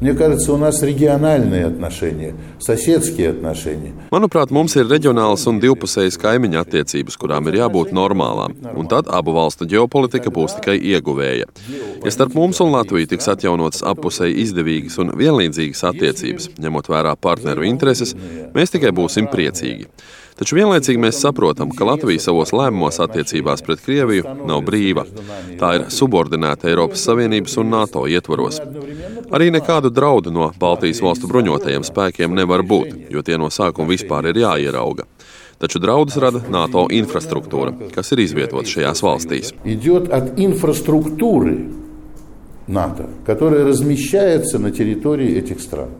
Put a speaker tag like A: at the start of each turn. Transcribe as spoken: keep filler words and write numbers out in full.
A: Мне кажется, у нас региональные отношения, соседские отношения.
B: Manuprāt, mums ir reģionālas un divpusējas kaimiņu attiecības, kurām ir jābūt normālām, un tad abu valstu ģeopolitika būs tikai ieguvēja. Ja starp mums un Latviju tiks atjaunotas appusēji izdevīgas un vienlīdzīgas attiecības, ņemot vērā partneru intereses, mēs tikai būsim priecīgi. Taču vienlaicīgi mēs saprotam, ka Latvija savos lēmumos attiecībās pret Krieviju nav brīva. Tā ir subordinēta Eiropas Savienības un NATO ietvaros. Arī nekādu draudu no Baltijas valstu bruņotajiem spēkiem nevar būt, jo tie no sākuma vispār ir jāierauga. Taču draudus rada NATO infrastruktūra, kas ir izvietota šajās valstīs.
A: Идет от инфраструктуры НАТО, которая размещается на территории этих стран.